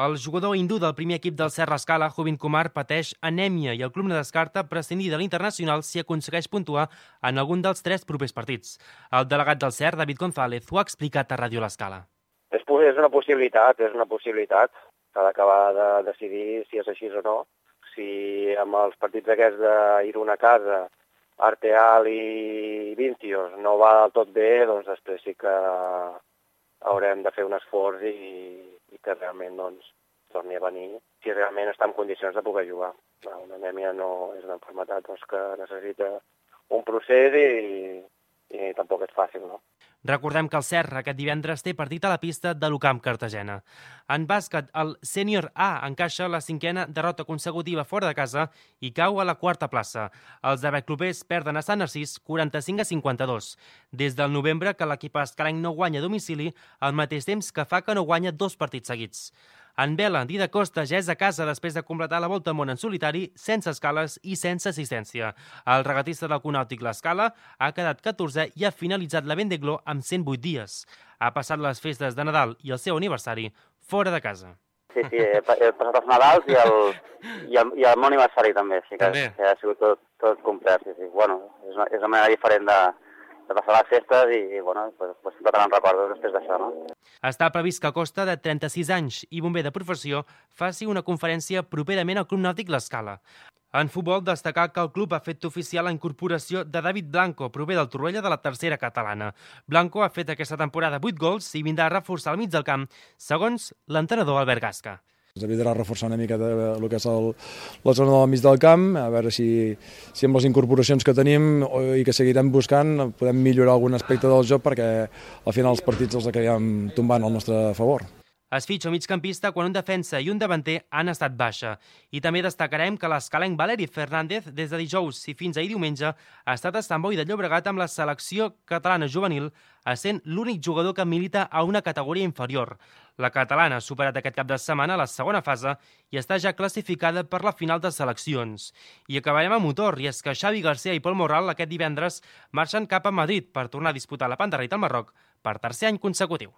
El jugador hindú del primer equip del Serra Escala, Jubin Kumar, pateix anèmia i el club no descarta prescindir de l'internacional si aconsegueix puntuar en algun dels 3 propers partits. El delegat del Ser, David González, ho ha explicat a Ràdio L'Escala. És una possibilitat. S'ha d'acabar de decidir si és així o no. Si amb els partits aquests d'Irun a casa, Arteal i Vincios no va del tot bé, doncs després sí que haurem de fer un esforç i que realment torni a venir, si realment està en condicions de poder jugar. Una anèmia no és una malaltia que necessita un procés i tampoc és fàcil, no? Recordem que el Serra aquest divendres té partit a la pista de l'Ucamp Cartagena. En bàsquet, el Sènior A encaixa la 5a derrota consecutiva fora de casa i cau a la 4a plaça. Els abeclubers perden a Sant Narcís 45-52. Des del novembre que l'equip escalenc no guanya a domicili, al mateix temps que fa que no guanya 2 partits seguits. En vela, Dida Costa ja és a casa després de completar la Volta al Món en solitari, sense escales i sense assistència. El regatista del Conàutic L'Escala ha quedat 14è i ha finalitzat la Vendée Globe amb 108 dies. Ha passat les festes de Nadal i el seu aniversari fora de casa. Sí, he passat els Nadals i el meu aniversari també. Sí que ha sigut tot complet. Sí. Bueno, és una manera diferent de passar les festes i sempre te'n recordo després d'això, no? Està previst que Costa, de 36 anys i bomber de professió, faci una conferència properament al Club Nàutic L'Escala. En futbol, destacar que el club ha fet oficial la incorporació de David Blanco, prové del Torroella de la tercera catalana. Blanco ha fet aquesta temporada 8 gols i vindrà a reforçar el mig del camp, segons l'entrenador Albert Gasca. Evitarà reforçar una mica el que és la zona del mig del camp, a veure si amb les incorporacions que tenim i que seguirem buscant podem millorar algun aspecte del joc perquè al final els partits els acabem tombant al nostre favor. Es fitxa un migcampista quan un defensa i un davanter han estat baixa. I també destacarem que l'escalenc Valeri Fernández, des de dijous i fins ahir diumenge, ha estat a Sant Boi de Llobregat amb la selecció catalana juvenil, essent l'únic jugador que milita a una categoria inferior. La catalana ha superat aquest cap de setmana la segona fase i està ja classificada per la final de seleccions. I acabarem a motor, i és que Xavi García i Pol Morral aquest divendres marxen cap a Madrid per tornar a disputar la Pantarrita al Marroc per tercer any consecutiu.